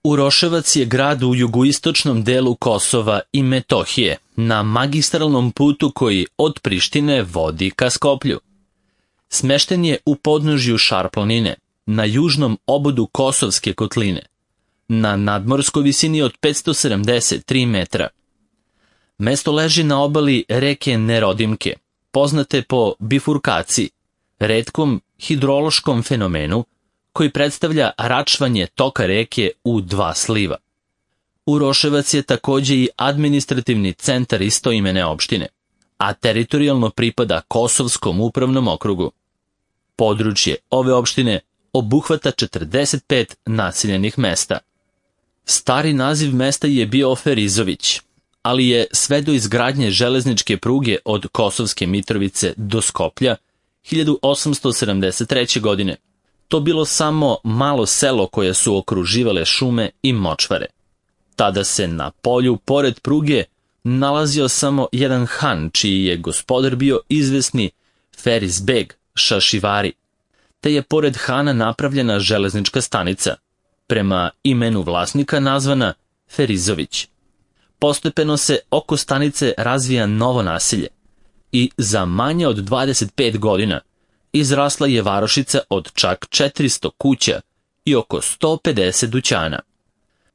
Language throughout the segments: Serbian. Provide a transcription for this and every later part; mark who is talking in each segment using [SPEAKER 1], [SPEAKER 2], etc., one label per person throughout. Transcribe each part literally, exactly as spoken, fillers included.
[SPEAKER 1] Uroševac je grad u jugoistočnom delu Kosova i Metohije, na magistralnom putu koji od Prištine vodi ka Skoplju. Smešten je u podnožju Šar-planine, na južnom obodu Kosovske kotline, na nadmorskoj visini od petsto sedamdeset tri metra. Mesto leži na obali reke Nerodimke, poznate po bifurkaciji, retkom hidrološkom fenomenu koji predstavlja račvanje toka reke u dva sliva. Uroševac je takođe i administrativni centar istoimene opštine, a teritorijalno pripada Kosovskom upravnom okrugu. Područje ove opštine obuhvata četrdeset pet naseljenih mesta. Stari naziv mesta je bio Ferizović, ali je sve do izgradnje železničke pruge od Kosovske Mitrovice do Skoplja hiljadu osamsto sedamdeset treće. godine to bilo samo malo selo koje su okruživale šume i močvare. Tada se na polju pored pruge nalazio samo jedan han, čiji je gospodar bio izvesni Feriz Beg Šašivari, te je pored hana napravljena železnička stanica, prema imenu vlasnika nazvana Ferizović. Postepeno se oko stanice razvija novo naselje i za manje od dvadeset pet godina izrasla je varošica od čak četiristo kuća i oko sto pedeset dućana.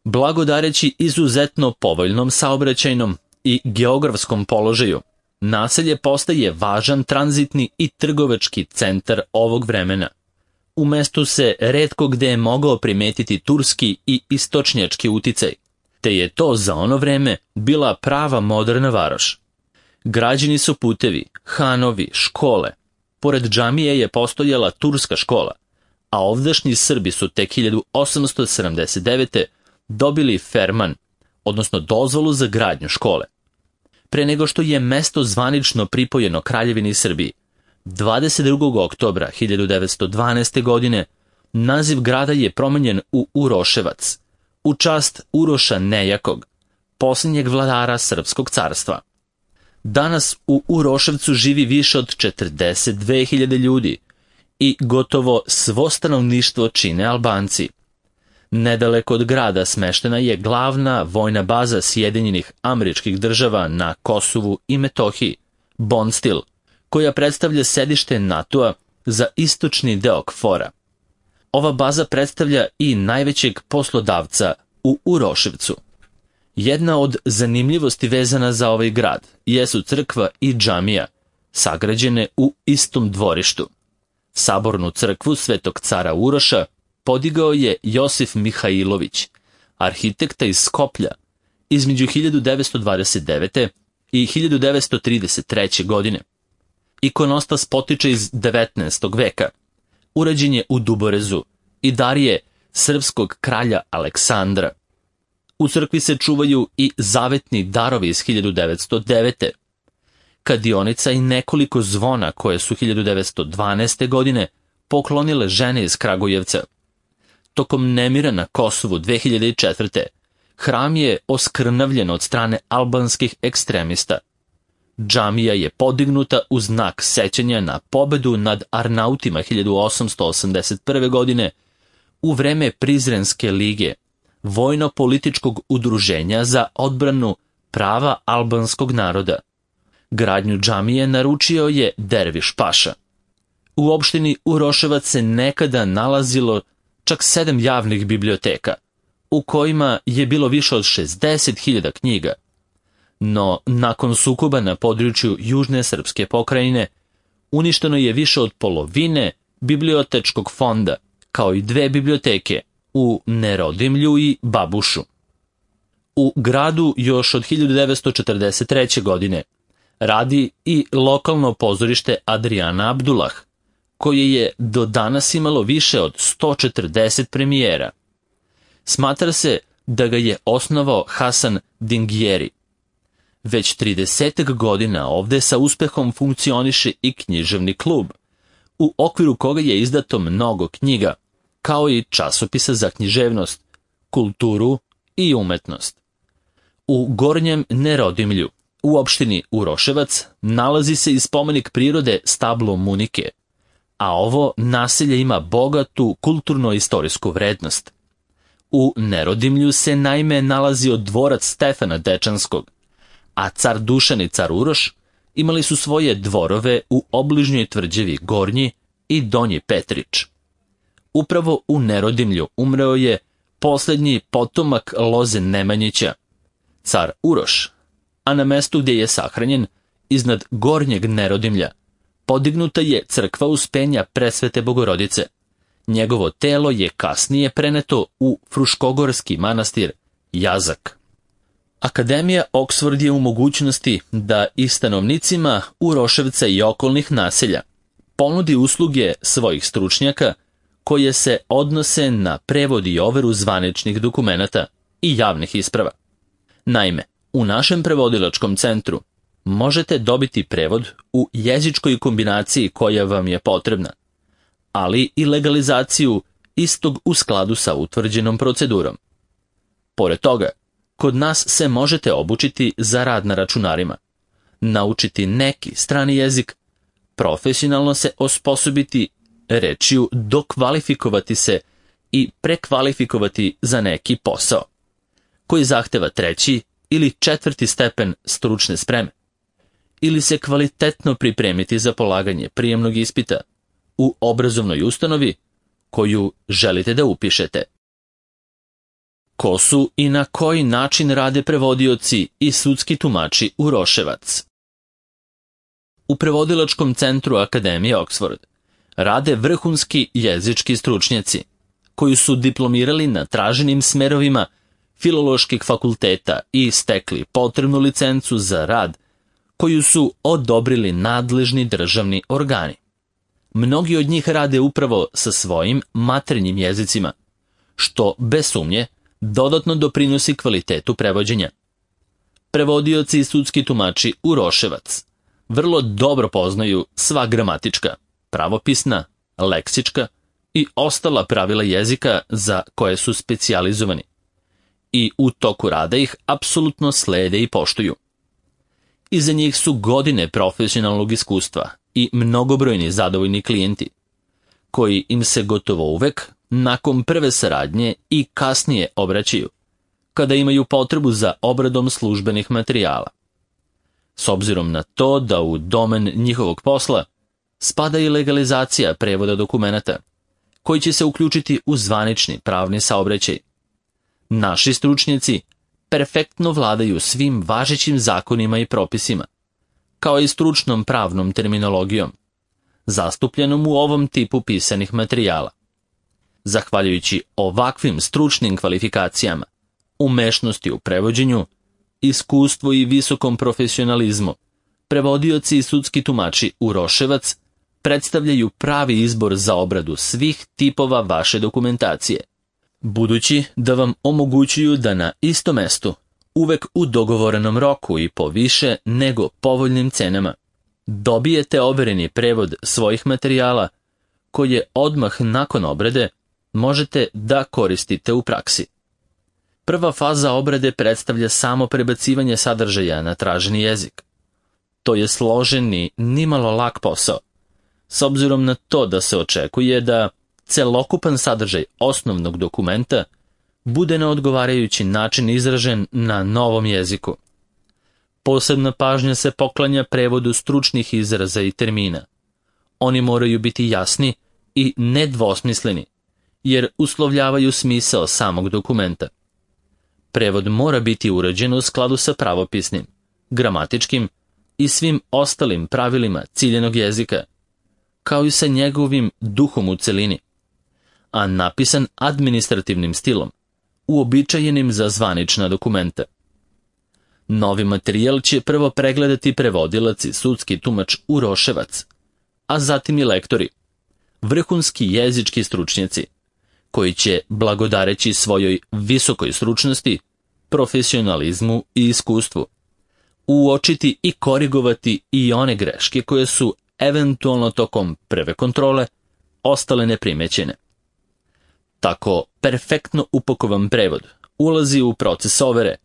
[SPEAKER 1] Blagodareći izuzetno povoljnom saobraćajnom i geografskom položaju, naselje postaje važan tranzitni i trgovački centar ovog vremena. U mestu se retko gde je mogao primetiti turski i istočnjački uticaj, te je to za ono vreme bila prava moderna varoš. Građeni su putevi, hanovi, škole. Pored džamije je postojala turska škola, a ovdašnji Srbi su tek hiljadu osamsto sedamdeset devete. dobili ferman, odnosno dozvolu za gradnju škole. Pre nego što je mesto zvanično pripojeno Kraljevini Srbiji, dvadeset drugog oktobra hiljadu devetsto dvanaeste. godine naziv grada je promenjen u Uroševac, u čast Uroša Nejakog, posljednjeg vladara Srpskog carstva. Danas u Uroševcu živi više od četrdeset dve hiljade ljudi i gotovo svo stanovništvo čine Albanci. Nedaleko od grada smeštena je glavna vojna baza Sjedinjenih Američkih Država na Kosovu i Metohiji, Bonstil, koja predstavlja sedište NATO-a za istočni deo Kfora. Ova baza predstavlja i najvećeg poslodavca u Uroševcu. Jedna od zanimljivosti vezana za ovaj grad jesu crkva i džamija, sagrađene u istom dvorištu. Sabornu crkvu Svetog cara Uroša podigao je Josif Mihajlović, arhitekta iz Skoplja, između hiljadu devetsto dvadeset devete. i hiljadu devetsto trideset treće. godine. Ikonostas potiče iz devetnaestog. veka. Urađen je u Duborezu i dar je srpskog kralja Aleksandra. U crkvi se čuvaju i zavetni darovi iz hiljadu devetsto devete. Kadionica i nekoliko zvona koje su hiljadu devetsto dvanaeste. godine poklonile žene iz Kragujevca. Tokom nemira na Kosovu dve hiljade četvrte. hram je oskrnavljen od strane albanskih ekstremista. Džamija je podignuta u znak sećanja na pobedu nad Arnautima hiljadu osamsto osamdeset prve. godine u vreme Prizrenske lige, vojno-političkog udruženja za odbranu prava albanskog naroda. Gradnju džamije naručio je Derviš Paša. U opštini Uroševac se nekada nalazilo čak sedam javnih biblioteka, u kojima je bilo više od šezdeset hiljada knjiga. No, nakon sukoba na području Južne srpske pokrajine, uništeno je više od polovine bibliotečkog fonda, kao i dve biblioteke u Nerodimlju i Babušu. U gradu još od hiljadu devetsto četrdeset treće. godine radi i lokalno pozorište Adriana Abdulah, koje je do danas imalo više od sto četrdeset premijera. Smatra se da ga je osnovao Hasan Dingjeri. Već tridesetak godina ovde sa uspehom funkcioniše i književni klub, u okviru koga je izdato mnogo knjiga, kao i časopisa za književnost, kulturu i umetnost. U Gornjem Nerodimlju, u opštini Uroševac, nalazi se i spomenik prirode Stablo Munike, a ovo naselje ima bogatu kulturno-istorijsku vrednost. U Nerodimlju se naime nalazio dvorac Stefana Dečanskog, a car Dušan i car Uroš imali su svoje dvorove u obližnjoj tvrđavi Gornji i Donji Petrić. Upravo u Nerodimlju umreo je posljednji potomak loze Nemanjića, car Uroš, a na mestu gdje je sahranjen, iznad Gornjeg Nerodimlja, podignuta je crkva Uspenja Presvete Bogorodice. Njegovo telo je kasnije preneto u Fruškogorski manastir Jazak. Akademija Oxford je u mogućnosti da i stanovnicima Uroševca i okolnih naselja ponudi usluge svojih stručnjaka koje se odnose na prevod i overu zvaničnih dokumenata i javnih isprava. Naime, u našem prevodilačkom centru možete dobiti prevod u jezičkoj kombinaciji koja vam je potrebna, ali i legalizaciju istog u skladu sa utvrđenom procedurom. Pored toga, kod nas se možete obučiti za rad na računarima, naučiti neki strani jezik, profesionalno se osposobiti rečju, dokvalifikovati se i prekvalifikovati za neki posao, koji zahteva treći ili četvrti stepen stručne spreme, ili se kvalitetno pripremiti za polaganje prijemnog ispita u obrazovnoj ustanovi koju želite da upišete. Ko su i na koji način rade prevodioci i sudski tumači Uroševac? U prevodilačkom centru Akademije Oxford rade vrhunski jezički stručnjaci koji su diplomirali na traženim smerovima filoloških fakulteta i stekli potrebnu licencu za rad koju su odobrili nadležni državni organi. Mnogi od njih rade upravo sa svojim maternjim jezicima, što bez sumnje dodatno doprinosi kvalitetu prevođenja. Prevodioci i sudski tumači Uroševac vrlo dobro poznaju sva gramatička, pravopisna, leksička i ostala pravila jezika za koje su specijalizovani i u toku rada ih apsolutno slede i poštuju. Iza njih su godine profesionalnog iskustva i mnogobrojni zadovoljni klijenti, koji im se gotovo uvek nakon prve saradnje i kasnije obraćaju, kada imaju potrebu za obradom službenih materijala. S obzirom na to da u domen njihovog posla spada i legalizacija prevoda dokumenata, koji će se uključiti u zvanični pravni saobraćaj. Naši stručnjaci perfektno vladaju svim važećim zakonima i propisima, kao i stručnom pravnom terminologijom, zastupljenom u ovom tipu pisanih materijala. Zahvaljujući ovakvim stručnim kvalifikacijama, umešnosti u prevođenju, iskustvu i visokom profesionalizmu, prevodioci i sudski tumači Uroševac predstavljaju pravi izbor za obradu svih tipova vaše dokumentacije, budući da vam omogućuju da na istom mestu, uvek u dogovorenom roku i po više nego povoljnim cenama, dobijete overeni prevod svojih materijala koje odmah nakon obrade možete da koristite u praksi. Prva faza obrade predstavlja samo prebacivanje sadržaja na traženi jezik. To je složen i nimalo lak posao, s obzirom na to da se očekuje da celokupan sadržaj osnovnog dokumenta bude na odgovarajući način izražen na novom jeziku. Posebna pažnja se poklanja prevodu stručnih izraza i termina. Oni moraju biti jasni i nedvosmisleni, jer uslovljavaju smisao samog dokumenta. Prevod mora biti urađen u skladu sa pravopisnim, gramatičkim i svim ostalim pravilima ciljenog jezika, kao i sa njegovim duhom u celini, a napisan administrativnim stilom, uobičajenim za zvanična dokumenta. Novi materijal će prvo pregledati prevodilac i sudski tumač Uroševac, a zatim i lektori, vrhunski jezički stručnjaci, koji će, blagodareći svojoj visokoj stručnosti, profesionalizmu i iskustvu, uočiti i korigovati i one greške koje su eventualno tokom prve kontrole ostale neprimećene. Tako perfektno upakovan prevod ulazi u proces overe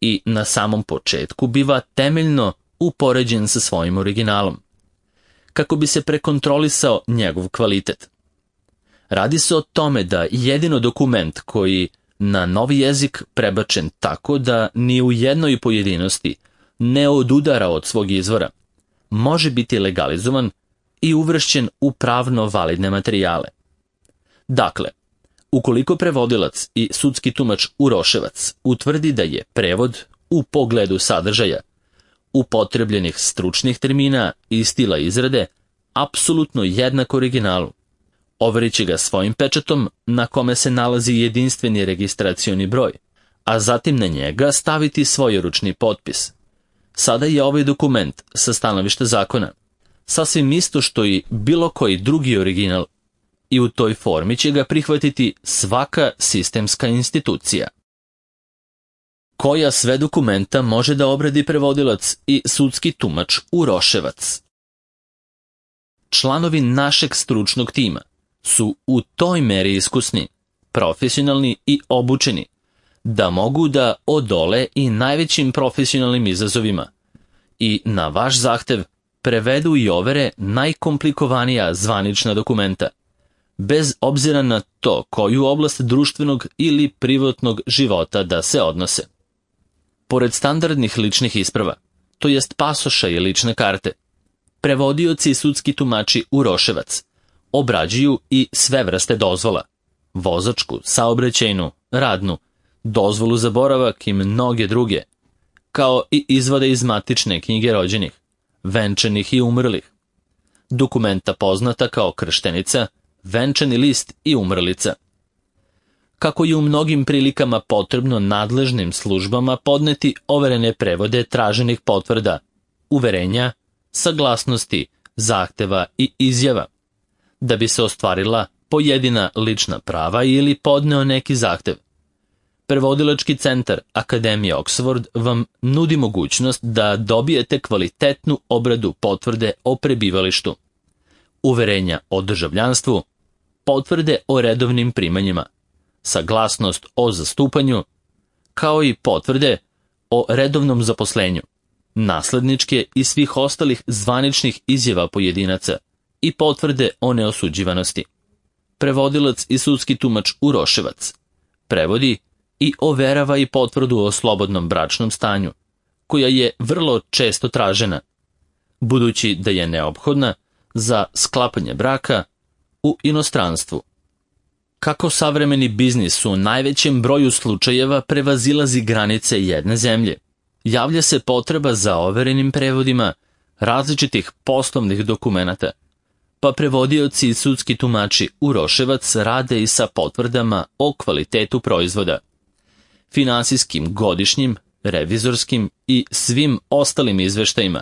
[SPEAKER 1] i na samom početku biva temeljno upoređen sa svojim originalom, kako bi se prekontrolisao njegov kvalitet. Radi se o tome da jedino dokument koji na novi jezik prebačen tako da ni u jednoj pojedinosti ne odudara od svog izvora, može biti legalizovan i uvršćen u pravno validne materijale. Dakle, ukoliko prevodilac i sudski tumač Uroševac utvrdi da je prevod u pogledu sadržaja, upotrebljenih stručnih termina i stila izrade apsolutno jednak originalu, overit će ga svojim pečatom na kome se nalazi jedinstveni registracioni broj, a zatim na njega staviti svoj ručni potpis. Sada je ovaj dokument sa stanovišta zakona sasvim isto što i bilo koji drugi original i u toj formi će ga prihvatiti svaka sistemska institucija. Koja sve dokumenta može da obradi prevodilac i sudski tumač Uroševac? Članovi našeg stručnog tima su u toj meri iskusni, profesionalni i obučeni da mogu da odole i najvećim profesionalnim izazovima i na vaš zahtev prevedu i overe najkomplikovanija zvanična dokumenta, bez obzira na to koju oblast društvenog ili privatnog života da se odnose. Pored standardnih ličnih isprava, to jest pasoša i lične karte, prevodioci i sudski tumači Uroševac obrađuju i sve vrste dozvola, vozačku, saobraćajnu, radnu, dozvolu za boravak i mnoge druge, kao i izvode iz matične knjige rođenih, venčanih i umrlih, dokumenta poznata kao krštenica, venčani list i umrlica. Kako je u mnogim prilikama potrebno nadležnim službama podneti overene prevode traženih potvrda, uverenja, saglasnosti, zahteva i izjava, da bi se ostvarila pojedina lična prava ili podneo neki zahtev. Prevodilački centar Akademije Oxford vam nudi mogućnost da dobijete kvalitetnu obradu potvrde o prebivalištu, uverenja o državljanstvu, potvrde o redovnim primanjima, saglasnost o zastupanju, kao i potvrde o redovnom zaposlenju, nasledničke i svih ostalih zvaničnih izjava pojedinaca i potvrde o neosuđivanosti. Prevodilac i sudski tumač Uroševac prevodi i overava i potvrdu o slobodnom bračnom stanju, koja je vrlo često tražena, budući da je neophodna za sklapanje braka u inostranstvu. Kako savremeni biznis u najvećem broju slučajeva prevazilazi granice jedne zemlje, javlja se potreba za overenim prevodima različitih poslovnih dokumenata, pa prevodioci i sudski tumači Uroševac rade i sa potvrdama o kvalitetu proizvoda, finansijskim godišnjim, revizorskim i svim ostalim izveštajima,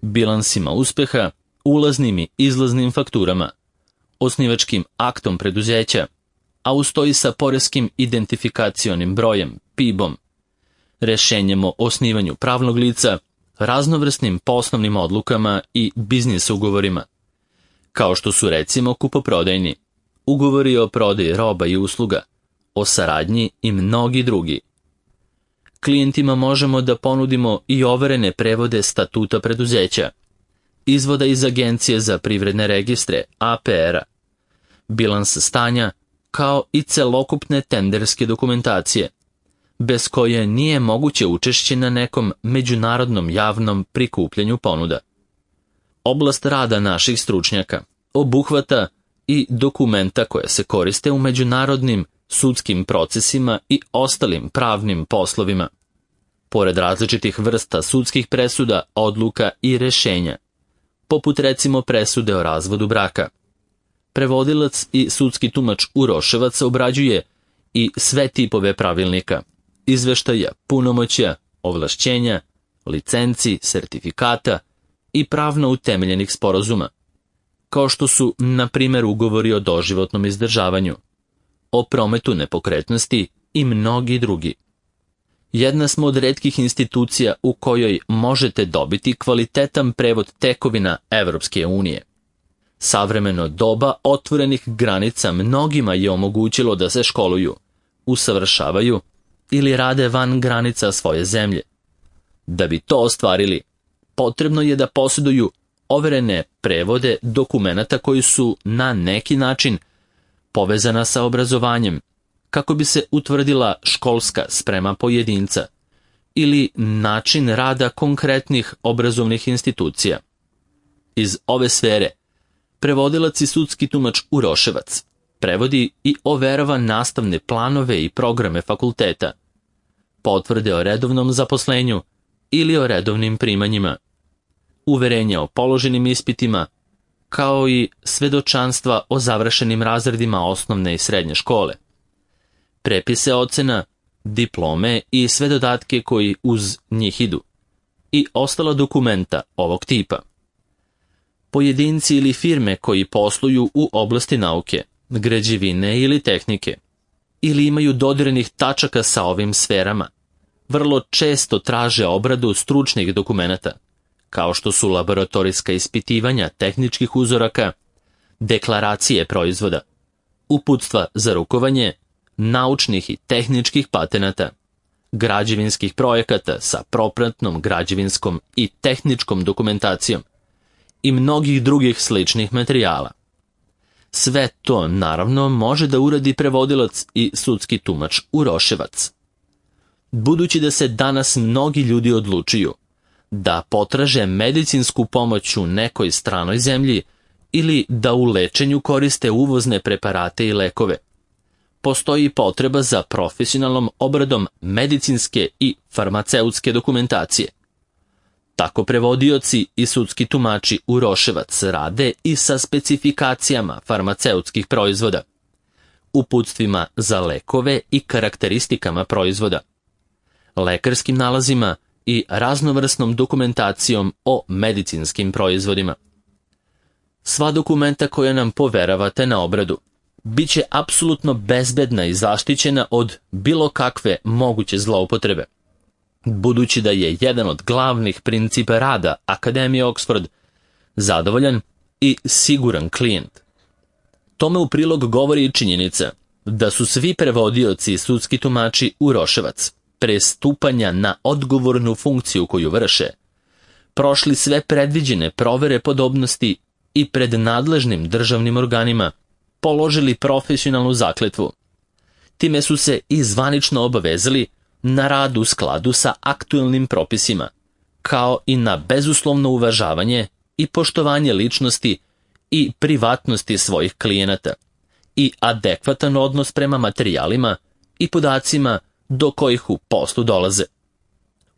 [SPEAKER 1] bilansima uspeha, ulaznim i izlaznim fakturama, osnivačkim aktom preduzeća, a ustoji sa poreskim identifikacionim brojem, P I B-om, rešenjem o osnivanju pravnog lica, raznovrsnim poslovnim odlukama i biznis ugovorima, kao što su recimo kupoprodajni, ugovori o prodaji roba i usluga, o saradnji i mnogi drugi. Klijentima možemo da ponudimo i overene prevode statuta preduzeća, izvoda iz Agencije za privredne registre, A P R-a, bilans stanja, kao i celokupne tenderske dokumentacije, bez koje nije moguće učešće na nekom međunarodnom javnom prikupljanju ponuda. Oblast rada naših stručnjaka obuhvata i dokumenta koje se koriste u međunarodnim sudskim procesima i ostalim pravnim poslovima. Pored različitih vrsta sudskih presuda, odluka i rešenja, poput recimo presude o razvodu braka, prevodilac i sudski tumač Uroševac obrađuje i sve tipove pravilnika, izveštaja, punomoćja, ovlašćenja, licenci, sertifikata i pravno utemeljenih sporazuma, kao što su, na primjer, ugovori o doživotnom izdržavanju, o prometu nepokretnosti i mnogi drugi. Jedna smo od retkih institucija u kojoj možete dobiti kvalitetan prevod tekovina Evropske unije. Savremeno doba otvorenih granica mnogima je omogućilo da se školuju, usavršavaju ili rade van granica svoje zemlje. Da bi to ostvarili, potrebno je da posjeduju overene prevode dokumenata koji su na neki način povezana sa obrazovanjem, kako bi se utvrdila školska sprema pojedinca ili način rada konkretnih obrazovnih institucija. Iz ove sfere prevodilac i sudski tumač Uroševac prevodi i overava nastavne planove i programe fakulteta, potvrde o redovnom zaposlenju ili o redovnim primanjima, uverenja o položenim ispitima, kao i svedočanstva o završenim razredima osnovne i srednje škole, prepise ocena, diplome i sve dodatke koji uz njih idu, i ostala dokumenta ovog tipa. Pojedinci ili firme koji posluju u oblasti nauke, građevine ili tehnike, ili imaju dodirnih tačaka sa ovim sferama, vrlo često traže obradu stručnih dokumenata, kao što su laboratorijska ispitivanja tehničkih uzoraka, deklaracije proizvoda, uputstva za rukovanje, naučnih i tehničkih patenata, građevinskih projekata sa propratnom građevinskom i tehničkom dokumentacijom i mnogih drugih sličnih materijala. Sve to, naravno, može da uradi prevodilac i sudski tumač Uroševac. Budući da se danas mnogi ljudi odlučuju da potraže medicinsku pomoć u nekoj stranoj zemlji ili da u lečenju koriste uvozne preparate i lekove, postoji potreba za profesionalnom obradom medicinske i farmaceutske dokumentacije. Tako prevodioci i sudski tumači Uroševac rade i sa specifikacijama farmaceutskih proizvoda, uputstvima za lekove i karakteristikama proizvoda, lekarskim nalazima i raznovrsnom dokumentacijom o medicinskim proizvodima. Sva dokumenta koja nam poveravate na obradu bit će apsolutno bezbedna i zaštićena od bilo kakve moguće zloupotrebe, budući da je jedan od glavnih principa rada Akademije Oxford zadovoljan i siguran klijent. Tome u prilog govori i činjenica da su svi prevodioci i sudski tumači Uroševac pre stupanja na odgovornu funkciju koju vrše prošli sve predviđene provere podobnosti i pred nadležnim državnim organima položili profesionalnu zakletvu. Time su se i zvanično obavezali na rad u skladu sa aktuelnim propisima, kao i na bezuslovno uvažavanje i poštovanje ličnosti i privatnosti svojih klijenata i adekvatan odnos prema materijalima i podacima do kojih u poslu dolaze.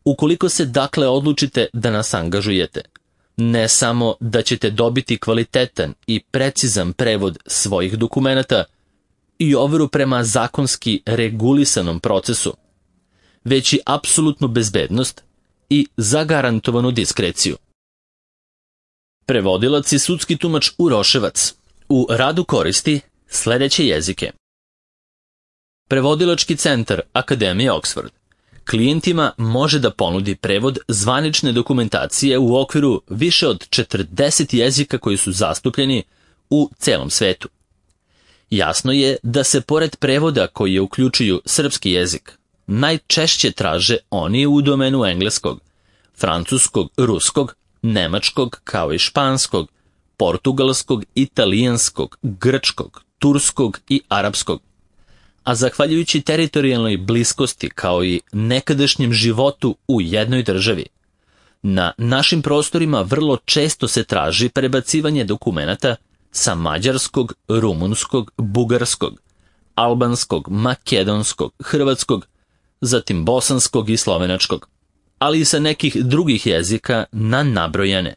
[SPEAKER 1] Ukoliko se dakle odlučite da nas angažujete, ne samo da ćete dobiti kvalitetan i precizan prevod svojih dokumenata i overu prema zakonski regulisanom procesu, već i apsolutnu bezbednost i zagarantovanu diskreciju. Prevodilac i sudski tumač Uroševac u radu koristi sledeće jezike. Prevodilački centar Akademije Oxford klijentima može da ponudi prevod zvanične dokumentacije u okviru više od četrdeset jezika koji su zastupljeni u celom svetu. Jasno je da se pored prevoda koji uključuju srpski jezik, najčešće traže oni u domenu engleskog, francuskog, ruskog, nemačkog, kao i španskog, portugalskog, italijanskog, grčkog, turskog i arapskog. A zahvaljujući teritorijalnoj bliskosti kao i nekadašnjem životu u jednoj državi, na našim prostorima vrlo često se traži prebacivanje dokumenata sa mađarskog, rumunskog, bugarskog, albanskog, makedonskog, hrvatskog, zatim bosanskog i slovenačkog, ali i sa nekih drugih jezika na nabrojane.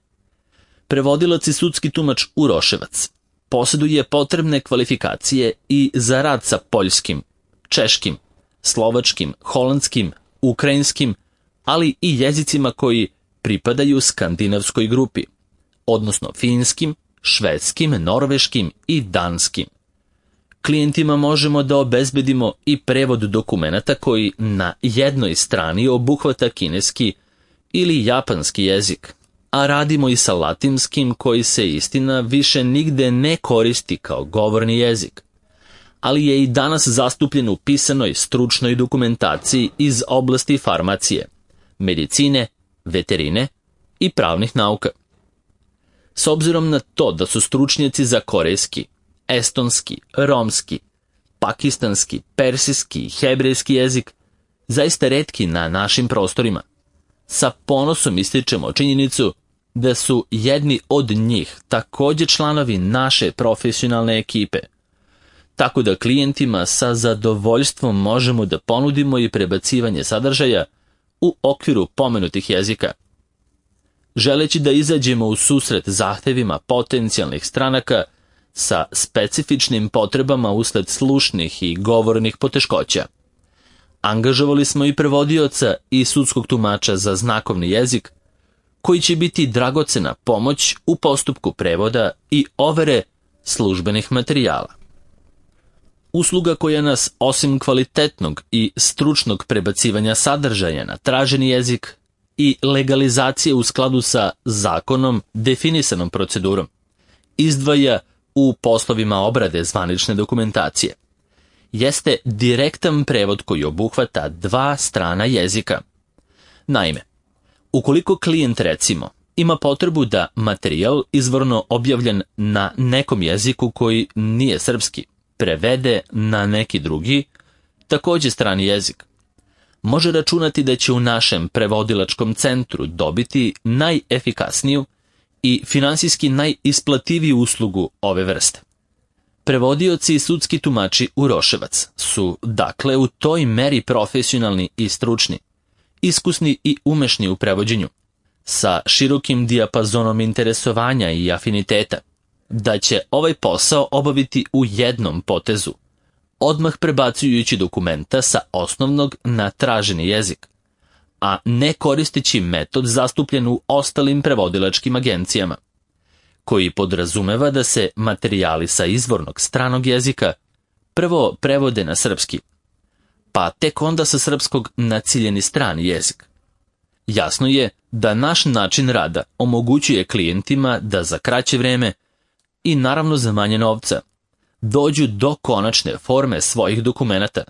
[SPEAKER 1] Prevodilac i sudski tumač Uroševac posjeduje potrebne kvalifikacije i za rad sa poljskim, češkim, slovačkim, holandskim, ukrajinskim, ali i jezicima koji pripadaju skandinavskoj grupi, odnosno finskim, švedskim, norveškim i danskim. Klijentima možemo da obezbedimo i prevod dokumenata koji na jednoj strani obuhvata kineski ili japanski jezik, a radimo i sa latinskim koji se istina više nigde ne koristi kao govorni jezik, ali je i danas zastupljen u pisanoj stručnoj dokumentaciji iz oblasti farmacije, medicine, veterine i pravnih nauka. S obzirom na to da su stručnjaci za korejski, estonski, romski, pakistanski, persijski i hebrejski jezik, zaista retki na našim prostorima. Sa ponosom ističemo činjenicu da su jedni od njih također članovi naše profesionalne ekipe, tako da klijentima sa zadovoljstvom možemo da ponudimo i prebacivanje sadržaja u okviru pomenutih jezika. Želeći da izađemo u susret zahtevima potencijalnih stranaka sa specifičnim potrebama usled slušnih i govornih poteškoća, angažovali smo i prevodioca i sudskog tumača za znakovni jezik, koji će biti dragocena pomoć u postupku prevoda i overe službenih materijala. Usluga koja nas, osim kvalitetnog i stručnog prebacivanja sadržaja na traženi jezik i legalizacije u skladu sa zakonom definisanom procedurom, izdvaja u poslovima obrade zvanične dokumentacije, jeste direktan prevod koji obuhvata dva strana jezika. Naime, ukoliko klijent, recimo, ima potrebu da materijal izvorno objavljen na nekom jeziku koji nije srpski prevede na neki drugi, također strani jezik, može računati da će u našem prevodilačkom centru dobiti najefikasniju i finansijski najisplativiju uslugu ove vrste. Prevodioci i sudski tumači Uroševac su, dakle, u toj meri profesionalni i stručni, iskusni i umešni u prevođenju, sa širokim dijapazonom interesovanja i afiniteta, da će ovaj posao obaviti u jednom potezu, odmah prebacujući dokumenta sa osnovnog na traženi jezik, a ne koristeći metod zastupljen u ostalim prevodilačkim agencijama, koji podrazumeva da se materijali sa izvornog stranog jezika prvo prevode na srpski, pa tek onda sa srpskog na ciljeni strani jezik. Jasno je da naš način rada omogućuje klijentima da za kraće vreme i naravno za manje novca dođu do konačne forme svojih dokumenata,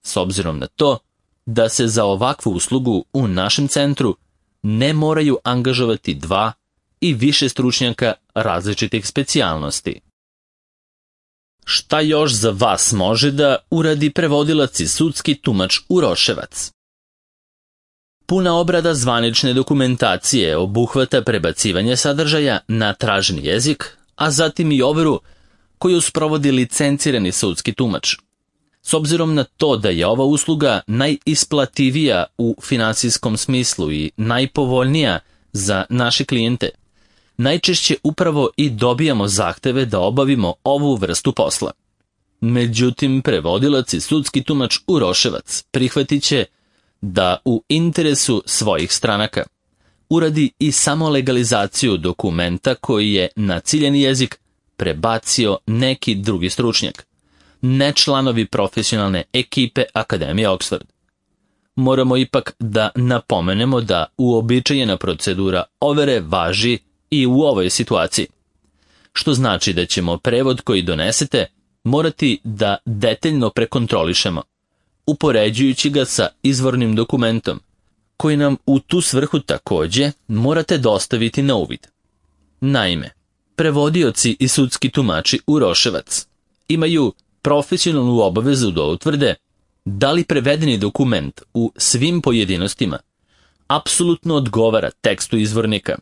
[SPEAKER 1] s obzirom na to da se za ovakvu uslugu u našem centru ne moraju angažovati dva i više stručnjaka različitih specijalnosti. Šta još za vas može da uradi prevodilac i sudski tumač Uroševac? Puna obrada zvanične dokumentacije obuhvata prebacivanje sadržaja na traženi jezik, a zatim i overu koju sprovodi licencirani sudski tumač. S obzirom na to da je ova usluga najisplativija u finansijskom smislu i najpovoljnija za naše klijente, najčešće upravo i dobijamo zahteve da obavimo ovu vrstu posla. Međutim, prevodilac i sudski tumač Uroševac prihvatit će da u interesu svojih stranaka uradi i samo legalizaciju dokumenta koji je na ciljeni jezik prebacio neki drugi stručnjak, ne članovi profesionalne ekipe Akademije Oxford. Moramo ipak da napomenemo da uobičajena procedura overe važi i u ovoj situaciji, što znači da ćemo prevod koji donesete morati da detaljno prekontrolišemo, upoređujući ga sa izvornim dokumentom, koji nam u tu svrhu također morate dostaviti na uvid. Naime, prevodioci i sudski tumači Uroševac imaju profesionalnu obavezu da utvrde da li prevedeni dokument u svim pojedinostima apsolutno odgovara tekstu izvornika,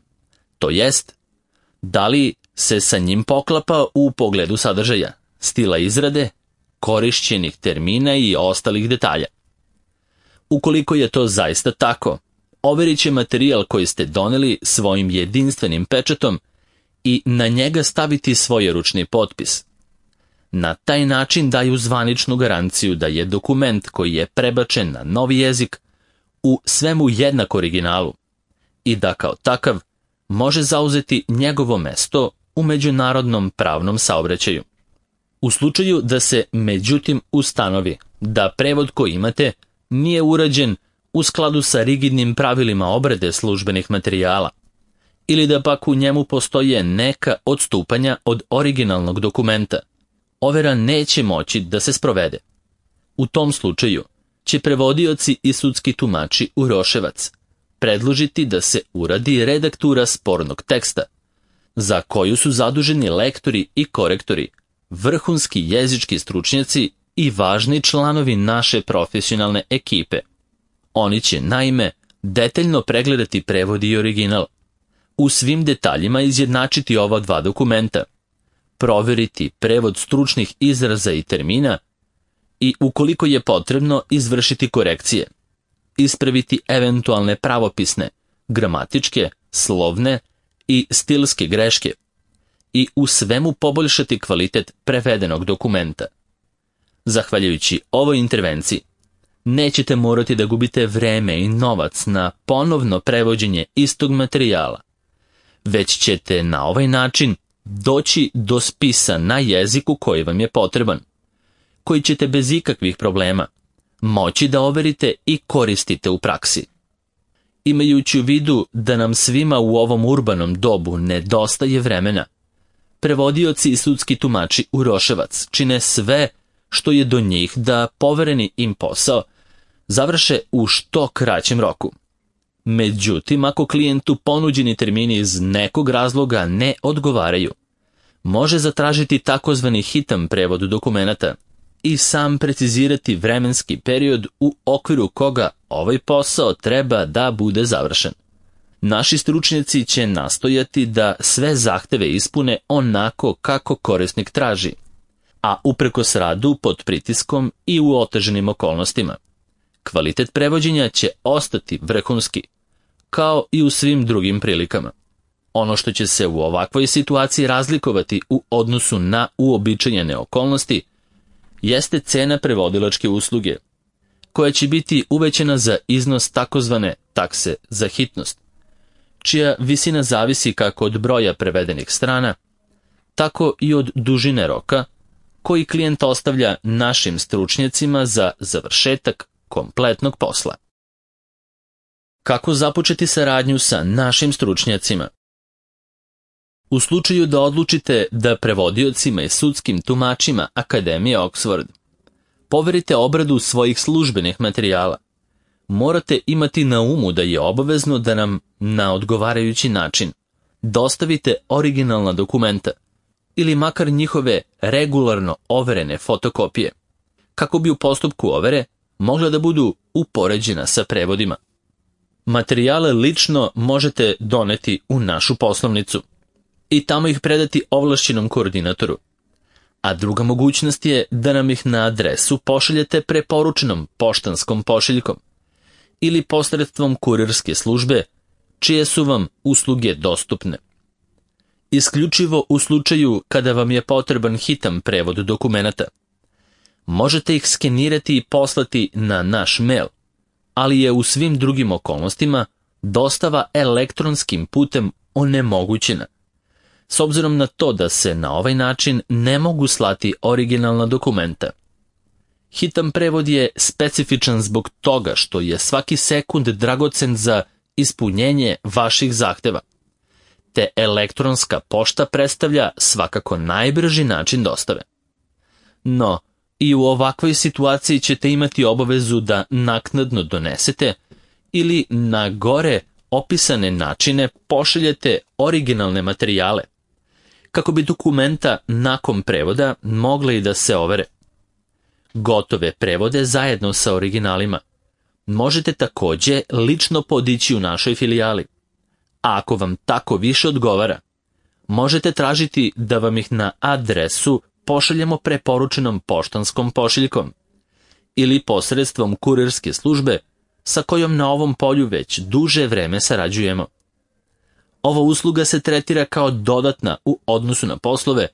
[SPEAKER 1] to jest da li se sa njim poklapa u pogledu sadržaja, stila izrade, korišćenih termina i ostalih detalja. Ukoliko je to zaista tako, overit će materijal koji ste doneli svojim jedinstvenim pečatom i na njega staviti svoj ručni potpis. Na taj način daju zvaničnu garanciju da je dokument koji je prebačen na novi jezik u svemu jednak originalu i da kao takav može zauzeti njegovo mesto u međunarodnom pravnom saobraćaju. U slučaju da se međutim ustanovi da prevod koji imate nije urađen u skladu sa rigidnim pravilima obrade službenih materijala, ili da pak u njemu postoje neka odstupanja od originalnog dokumenta, overa neće moći da se sprovede. U tom slučaju će prevodioci i sudski tumači Uroševac predložiti da se uradi redaktura spornog teksta, za koju su zaduženi lektori i korektori, vrhunski jezički stručnjaci i važni članovi naše profesionalne ekipe. Oni će, naime, detaljno pregledati prevod i original, u svim detaljima izjednačiti ova dva dokumenta, proveriti prevod stručnih izraza i termina i, ukoliko je potrebno, izvršiti korekcije, ispraviti eventualne pravopisne, gramatičke, slovne i stilske greške i u svemu poboljšati kvalitet prevedenog dokumenta. Zahvaljujući ovoj intervenciji, nećete morati da gubite vreme i novac na ponovno prevođenje istog materijala, već ćete na ovaj način doći do spisa na jeziku koji vam je potreban, koji ćete bez ikakvih problema moći da overite i koristite u praksi. Imajući u vidu da nam svima u ovom urbanom dobu nedostaje vremena, prevodioci i sudski tumači u Roševac čine sve što je do njih da povereni im posao završe u što kraćem roku. Međutim, ako klijentu ponuđeni termini iz nekog razloga ne odgovaraju, može zatražiti takozvani hitan prevod dokumenata i sam precizirati vremenski period u okviru koga ovaj posao treba da bude završen. Naši stručnjaci će nastojati da sve zahteve ispune onako kako korisnik traži, a uprkos radu pod pritiskom i u oteženim okolnostima. Kvalitet prevođenja će ostati vrhunski, kao i u svim drugim prilikama. Ono što će se u ovakvoj situaciji razlikovati u odnosu na uobičajene okolnosti jeste cena prevodilačke usluge, koja će biti uvećana za iznos takozvane takse za hitnost, čija visina zavisi kako od broja prevedenih strana, tako i od dužine roka koji klijent ostavlja našim stručnjacima za završetak kompletnog posla. Kako započeti saradnju sa našim stručnjacima? U slučaju da odlučite da prevodiocima i sudskim tumačima Akademije Oxford poverite obradu svojih službenih materijala, morate imati na umu da je obavezno da nam na odgovarajući način dostavite originalna dokumenta ili makar njihove regularno overene fotokopije, kako bi u postupku overe mogla da budu upoređena sa prevodima. Materijale lično možete doneti u našu poslovnicu i tamo ih predati ovlašćenom koordinatoru, a druga mogućnost je da nam ih na adresu pošaljete preporučenom poštanskom pošiljkom ili posredstvom kurirske službe, čije su vam usluge dostupne. Isključivo u slučaju kada vam je potreban hitan prevod dokumenata, možete ih skenirati i poslati na naš mail, ali je u svim drugim okolnostima dostava elektronskim putem onemogućena, s obzirom na to da se na ovaj način ne mogu slati originalna dokumenta. Hitan prevod je specifičan zbog toga što je svaki sekund dragocen za ispunjenje vaših zahteva, te elektronska pošta predstavlja svakako najbrži način dostave. No, i u ovakvoj situaciji ćete imati obavezu da naknadno donesete ili na gore opisane načine pošaljete originalne materijale, kako bi dokumenta nakon prevoda mogle i da se overe. Gotove prevode zajedno sa originalima možete također lično podići u našoj filijali, a ako vam tako više odgovara, možete tražiti da vam ih na adresu pošaljemo preporučenom poštanskom pošiljkom ili posredstvom kurirske službe sa kojom na ovom polju već duže vreme sarađujemo. Ova usluga se tretira kao dodatna u odnosu na poslove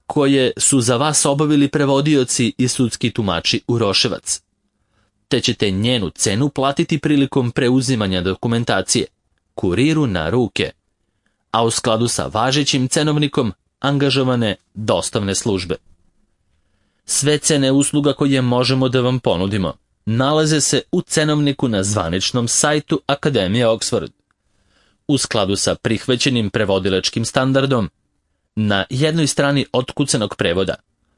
[SPEAKER 1] koje su za vas obavili prevodioci i sudski tumači u Roševac, te ćete njenu cenu platiti prilikom preuzimanja dokumentacije, kuriru na ruke, a u skladu sa važećim cenovnikom angažovane dostavne službe. Sve cene usluga koje možemo da vam ponudimo nalaze se u cenovniku na zvaničnom sajtu Akademije Oxford. U skladu sa prihvaćenim prevodilačkim standardom, na jednoj strani otkucanog prevoda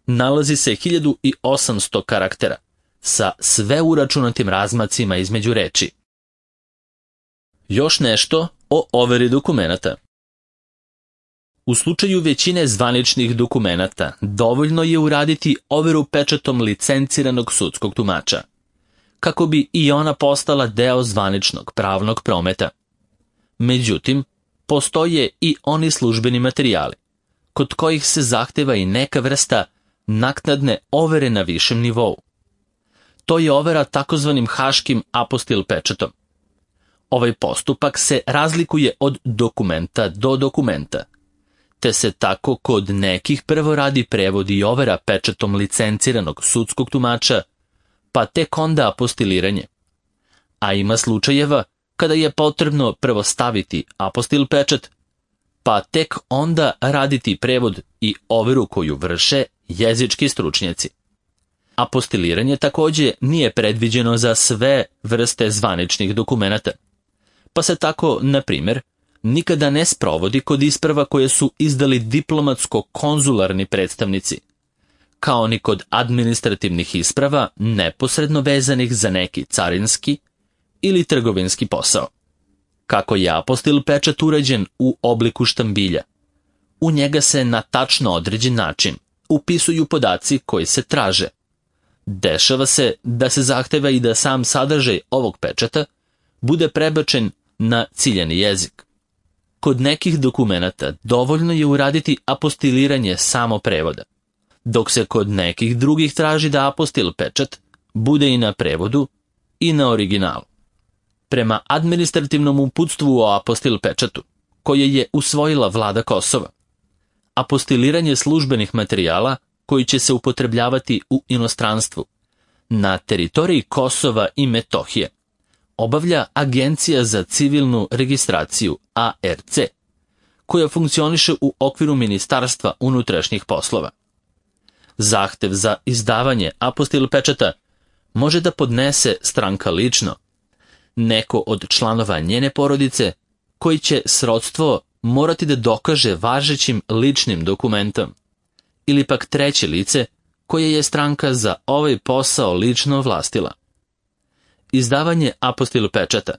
[SPEAKER 1] nalazi se hiljadu osamsto karaktera sa sve uračunatim razmacima između reči. Još nešto o overi dokumenata. U slučaju većine zvaničnih dokumenata dovoljno je uraditi overu pečatom licenciranog sudskog tumača, kako bi i ona postala deo zvaničnog pravnog prometa. Međutim, postoje i oni službeni materijali, kod kojih se zahteva i neka vrsta naknadne overe na višem nivou. To je overa takozvanim haškim apostil pečatom. Ovaj postupak se razlikuje od dokumenta do dokumenta, te se tako kod nekih prvo radi prevod i overa pečatom licenciranog sudskog tumača, pa tek onda apostiliranje. A ima slučajeva kada je potrebno prvo staviti apostil pečat, pa tek onda raditi prevod i overu koju vrše jezički stručnjaci. Apostiliranje također nije predviđeno za sve vrste zvaničnih dokumenata, pa se tako, na primjer, nikada ne sprovodi kod isprava koje su izdali diplomatsko-konzularni predstavnici, kao ni kod administrativnih isprava neposredno vezanih za neki carinski ili trgovinski posao. Kako je apostil pečat urađen u obliku štambilja, u njega se na tačno određen način upisuju podaci koji se traže. Dešava se da se zahteva i da sam sadržaj ovog pečata bude prebačen na ciljani jezik. Kod nekih dokumenata dovoljno je uraditi apostiliranje samo prevoda, dok se kod nekih drugih traži da apostil pečat bude i na prevodu i na originalu. Prema administrativnom uputstvu o apostil pečatu, koje je usvojila vlada Kosova, apostiliranje službenih materijala koji će se upotrebljavati u inostranstvu na teritoriji Kosova i Metohije obavlja Agencija za civilnu registraciju A R C, koja funkcioniše u okviru Ministarstva unutrašnjih poslova. Zahtev za izdavanje apostil pečata može da podnese stranka lično, neko od članova njene porodice, koji će srodstvo morati da dokaže važećim ličnim dokumentom, ili pak treće lice koje je stranka za ovaj posao lično ovlastila. Izdavanje apostil pečata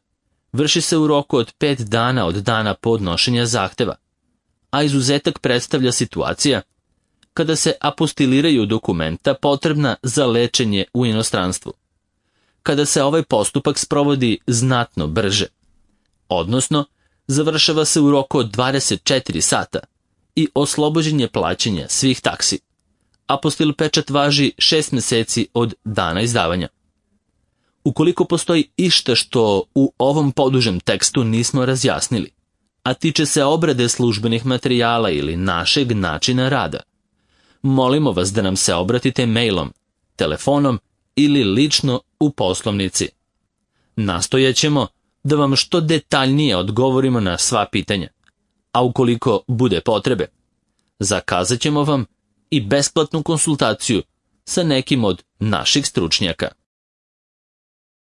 [SPEAKER 1] vrši se u roku od pet dana od dana podnošenja zahteva, a izuzetak predstavlja situacija kada se apostiliraju dokumenta potrebna za lečenje u inostranstvu, kada se ovaj postupak sprovodi znatno brže, odnosno završava se u roku od dvadeset četiri sata i oslobođen je plaćanja svih taksi. Apostil pečat važi šest meseci od dana izdavanja. Ukoliko postoji išta što u ovom podužem tekstu nismo razjasnili, a tiče se obrade službenih materijala ili našeg načina rada, molimo vas da nam se obratite mailom, telefonom ili lično u poslovnici. Nastojaćemo da vam što detaljnije odgovorimo na sva pitanja, a ukoliko bude potrebe, zakazat ćemo vam i besplatnu konsultaciju sa nekim od naših stručnjaka.